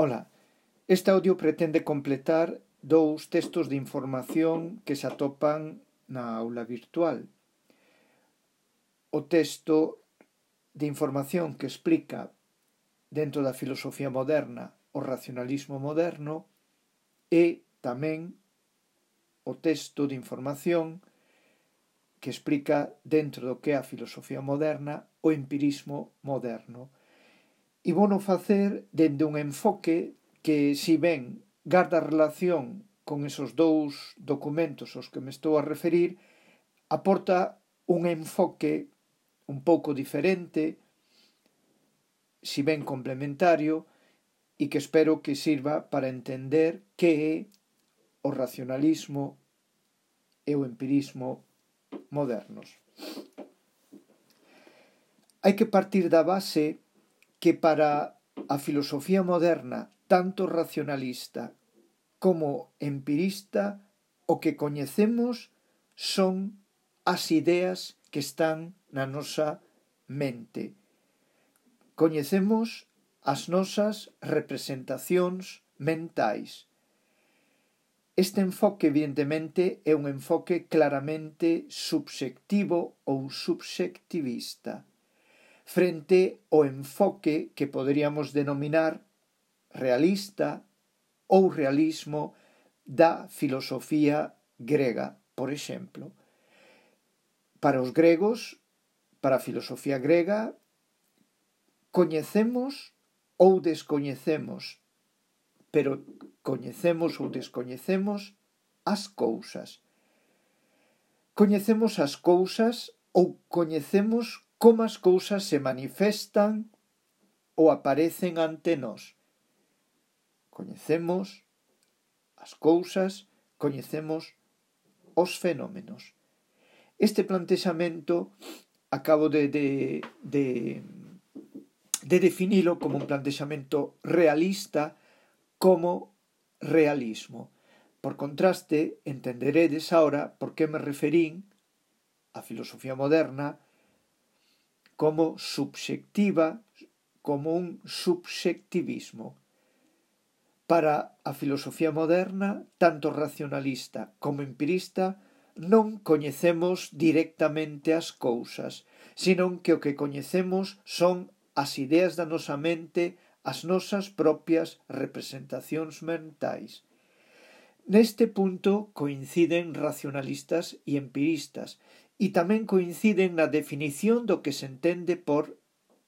Ola, este audio pretende completar dous textos de información que se atopan na aula virtual. O texto de información que explica dentro da filosofía moderna o racionalismo moderno e tamén o texto de información que explica dentro do que é a filosofía moderna o empirismo moderno. E vouno facer dende un enfoque que, si ben garda relación con esos dous documentos aos que me estou a referir, aporta un enfoque un pouco diferente, si ben complementario, e que espero que sirva para entender que é o racionalismo e o empirismo modernos. Hai que partir da base que para a filosofía moderna, tanto racionalista como empirista, o que coñecemos son as ideas que están na nosa mente. Coñecemos as nosas representacións mentais. Este enfoque, evidentemente, é un enfoque claramente subxectivo ou subxectivista, frente ao enfoque que poderíamos denominar realista ou realismo da filosofía grega, por exemplo. Para os gregos, para a filosofía grega, coñecemos ou descoñecemos, pero coñecemos ou descoñecemos as cousas. Coñecemos as cousas ou coñecemos como as cousas se manifestan ou aparecen ante nós. Coñecemos as cousas, coñecemos os fenómenos. Este plantexamento acabo de definilo como un plantexamento realista, como realismo. Por contraste, entenderedes ahora por que me referín á filosofía moderna como subxectiva, como un subxectivismo. Para a filosofía moderna, tanto racionalista como empirista, non coñecemos directamente as cousas, senón que o que coñecemos son as ideas da nosa mente, as nosas propias representacións mentais. Neste punto coinciden racionalistas e empiristas, e tamén coinciden na definición do que se entende por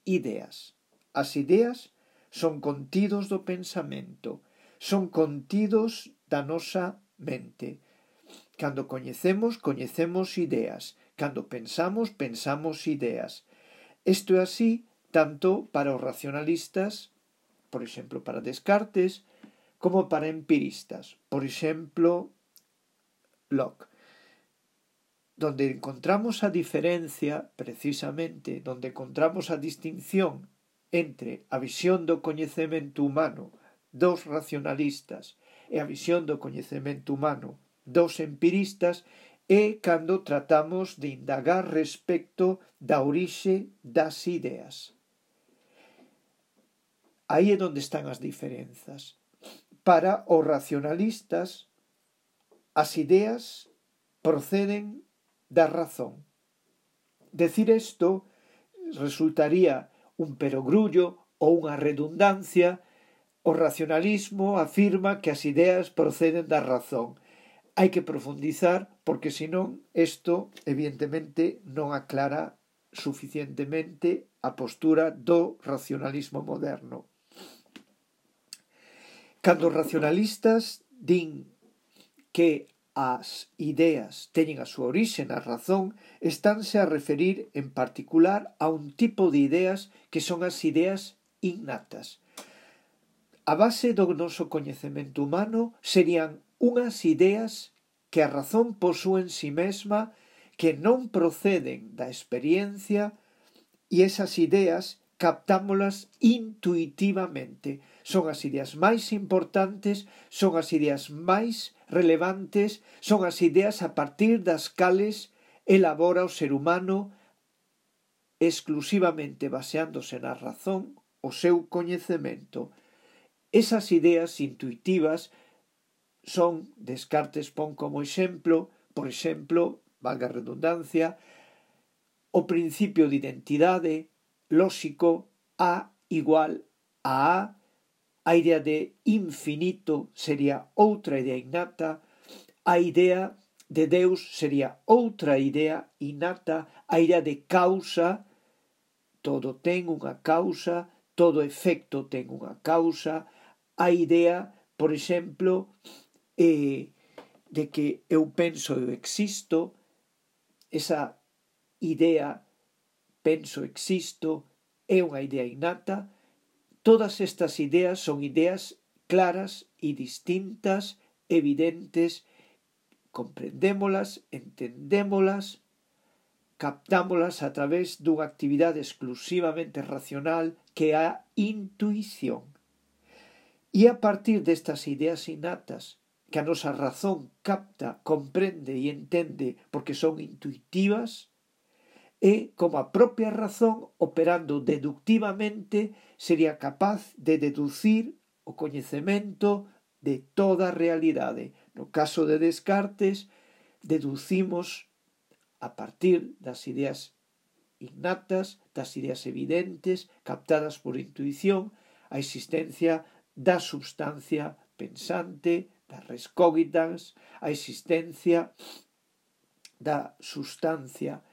ideas. As ideas son contidos do pensamento, son contidos da nosa mente. Cando coñecemos, coñecemos ideas. Cando pensamos, pensamos ideas. Isto é así tanto para os racionalistas, por exemplo, para Descartes, como para empiristas, por exemplo, Locke. Donde encontramos a diferencia, precisamente, donde encontramos a distinción entre a visión do coñecemento humano dos racionalistas e a visión do coñecemento humano dos empiristas é cando tratamos de indagar respecto da orixe das ideas. Aí é onde están as diferenzas. Para os racionalistas, as ideas proceden da razón. Decir isto resultaría un perogrullo ou unha redundancia. O racionalismo afirma que as ideas proceden da razón. Hai que profundizar porque senón isto evidentemente non aclara suficientemente a postura do racionalismo moderno. Cando os racionalistas din que as ideas teñen a súa orixe na razón, estánse a referir en particular a un tipo de ideas que son as ideas innatas. A base do noso coñecemento humano serían unhas ideas que a razón posúe en si mesma, que non proceden da experiencia, e esas ideas captámolas intuitivamente. Son as ideas máis importantes, son as ideas máis relevantes, son as ideas a partir das cales elabora o ser humano exclusivamente baseándose na razón o seu coñecemento. Esas ideas intuitivas son, Descartes pon como exemplo, por exemplo, valga a redundancia, o principio de identidade lóxico A igual a idea de infinito sería outra idea innata, a idea de Deus sería outra idea innata, a idea de causa, todo ten unha causa, todo efecto ten unha causa, a idea, por exemplo, de que eu penso e eu existo, esa idea penso existo é unha idea innata. Todas estas ideas son ideas claras e distintas, evidentes, comprendémolas, entendémolas, captámolas a través dunha actividade exclusivamente racional que é a intuición. E a partir destas ideas innatas que a nosa razón capta, comprende e entende porque son intuitivas, e como a propia razón, operando deductivamente, sería capaz de deducir o coñecemento de toda a realidade. No caso de Descartes, deducimos a partir das ideas innatas, das ideas evidentes, captadas por intuición, a existencia da substancia pensante, das res cogitans, a existencia da substancia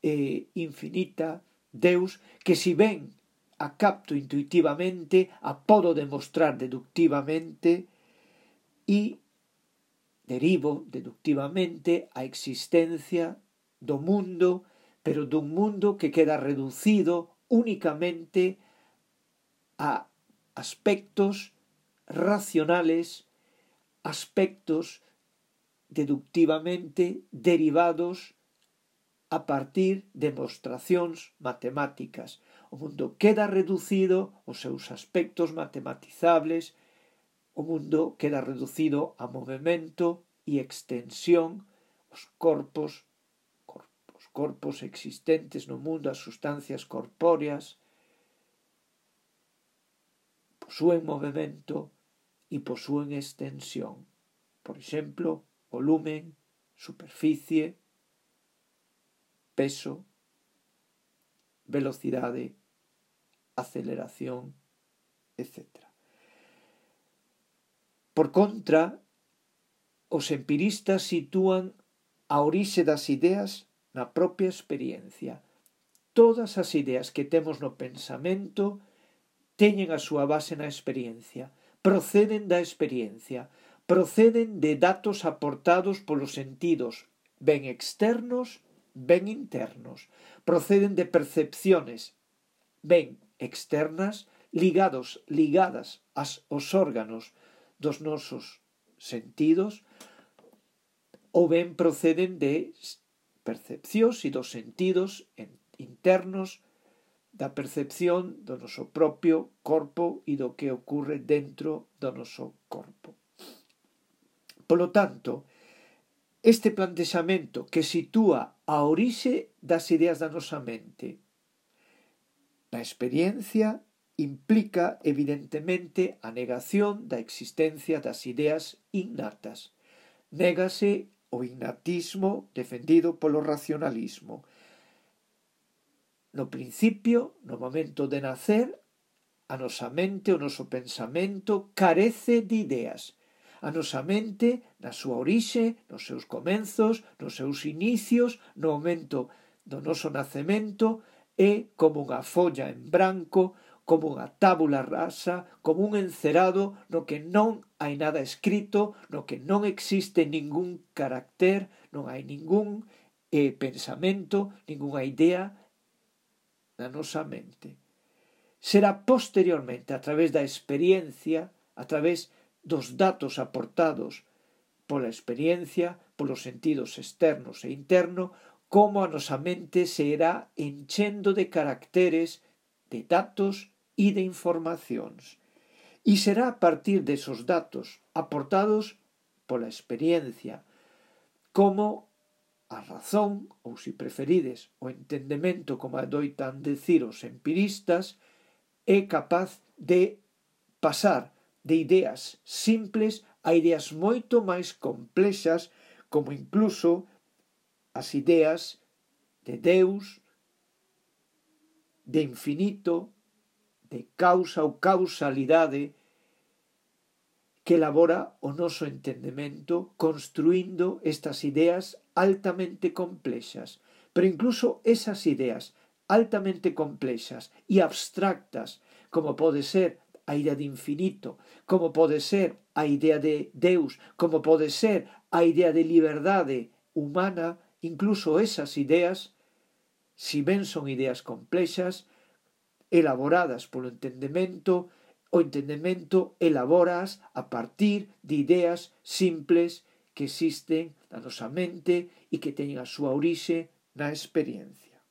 infinita, Deus, que si ben a capto intuitivamente, a podo demostrar deductivamente e derivo deductivamente a existencia do mundo, pero dun mundo que queda reducido únicamente a aspectos racionales, aspectos deductivamente derivados a partir de demostracións matemáticas. O mundo queda reducido aos seus aspectos matematizables, o mundo queda reducido a movimento e extensión, os corpos existentes no mundo, as sustancias corpóreas, posúen movimento e posúen extensión. Por exemplo, volumen, superficie, peso, velocidade, aceleración, etc. Por contra, os empiristas sitúan a orixe das ideas na propia experiencia. Todas as ideas que temos no pensamento teñen a súa base na experiencia, proceden da experiencia, proceden de datos aportados polos sentidos, ben externos, ben internos, proceden de percepciones, ben externas, ligadas aos órganos dos nosos sentidos, ou ben proceden de percepcións e dos sentidos internos da percepción do noso propio corpo e do que ocorre dentro do noso corpo. Polo tanto, este plantexamento que sitúa a orixe das ideas da nosa mente na experiencia implica evidentemente a negación da existencia das ideas innatas. Négase o innatismo defendido polo racionalismo. No principio, no momento de nacer, a nosa mente, o noso pensamento carece de ideas. A nosa mente, na súa orixe, nos seus comenzos, nos seus inicios, no momento do noso nacemento, é como unha folla en branco, como unha tábula rasa, como un encerado no que non hai nada escrito, no que non existe ningún carácter, non hai ningún pensamento, ningunha idea na nosa mente. Será posteriormente, a través da experiencia, a través dos datos aportados pola experiencia, polos sentidos externos e internos, como a nosa mente se irá enchendo de caracteres, de datos e de informacións. E será a partir desos datos aportados pola experiencia, como a razón, ou se preferides, o entendemento, como adoitan decir os empiristas, é capaz de pasar de ideas simples a ideas moito máis complexas, como incluso as ideas de Deus, de infinito, de causa ou causalidade, que elabora o noso entendemento construindo estas ideas altamente complexas. Pero incluso esas ideas altamente complexas e abstractas, como pode ser a idea de infinito, como pode ser a idea de Deus, como pode ser a idea de liberdade humana, incluso esas ideas, si ben son ideas complexas, elaboradas polo entendemento, o entendemento elabóraas a partir de ideas simples que existen na nosa mente e que teñen a súa orixe na experiencia.